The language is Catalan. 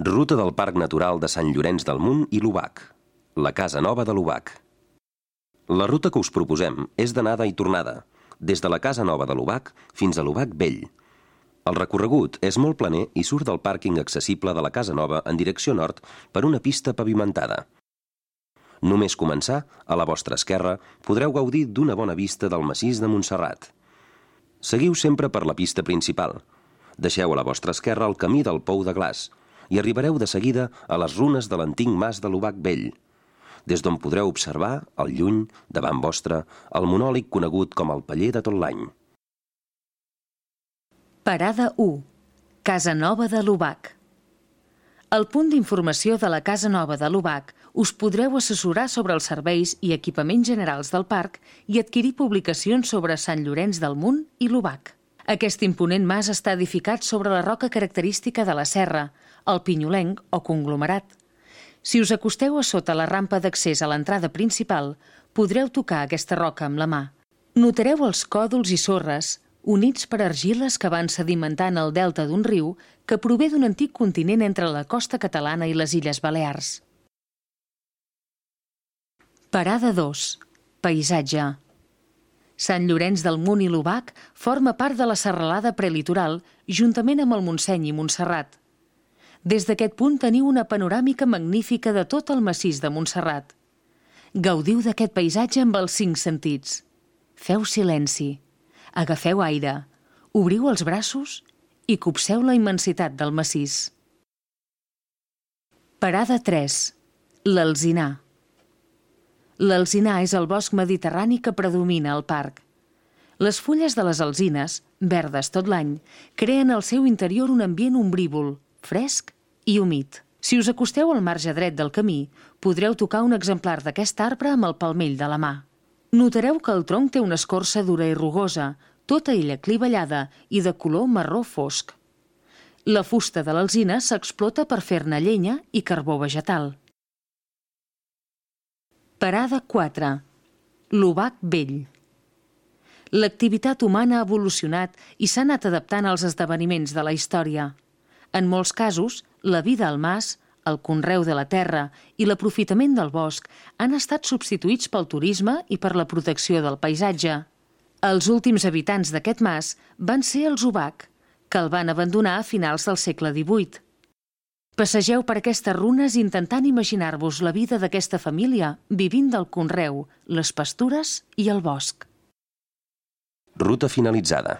Ruta del Parc Natural de Sant Llorenç del Munt i l'Obac. La Casa Nova de l'Obac. La ruta que us proposem és d'anada i tornada, des de la Casa Nova de l'Obac fins a l'Obac Vell. El recorregut és molt planer i surt del pàrquing accessible de la Casa Nova en direcció nord per una pista pavimentada. Només començar, a la vostra esquerra, podreu gaudir d'una bona vista del massís de Montserrat. Seguiu sempre per la pista principal. Deixeu a la vostra esquerra el camí del Pou de Glaç i arribareu de seguida a les runes de l'antic mas de l'Obac Vell, des d'on podreu observar, al lluny, davant vostre, el monòlit conegut com el Paller de tot l'any. Parada 1. Casa Nova de l'Obac. Al punt d'informació de la Casa Nova de l'Obac us podreu assessorar sobre els serveis i equipaments generals del parc i adquirir publicacions sobre Sant Llorenç del Munt i l'Obac. Aquest imponent mas està edificat sobre la roca característica de la serra, el pinyolenc o conglomerat. Si us acosteu a sota la rampa d'accés a l'entrada principal, podreu tocar aquesta roca amb la mà. Notareu els còdols i sorres, units per argiles que van sedimentant el delta d'un riu que prové d'un antic continent entre la costa catalana i les Illes Balears. Parada 2. Paisatge. Sant Llorenç del Munt i l'Obac forma part de la serralada prelitoral juntament amb el Montseny i Montserrat. Des d'aquest punt teniu una panoràmica magnífica de tot el massís de Montserrat. Gaudiu d'aquest paisatge amb els 5 sentits. Feu silenci, agafeu aire, obriu els braços i copseu la immensitat del massís. Parada 3. L'Alzinar. L'alzinar és el bosc mediterrani que predomina al parc. Les fulles de les alzines, verdes tot l'any, creen al seu interior un ambient ombrívol, fresc i humit. Si us acosteu al marge dret del camí, podreu tocar un exemplar d'aquest arbre amb el palmell de la mà. Notareu que el tronc té una escorça dura i rugosa, tota ella clivellada i de color marró fosc. La fusta de l'alzina s'explota per fer-ne llenya i carbó vegetal. Parada 4. L'Obac Vell. L'activitat humana ha evolucionat i s'ha anat adaptant als esdeveniments de la història. En molts casos, la vida al mas, el conreu de la terra i l'aprofitament del bosc han estat substituïts pel turisme i per la protecció del paisatge. Els últims habitants d'aquest mas van ser els Obac, que el van abandonar a finals del segle XVIII. Passegeu per aquestes runes intentant imaginar-vos la vida d'aquesta família vivint del conreu, les pastures i el bosc. Ruta finalitzada.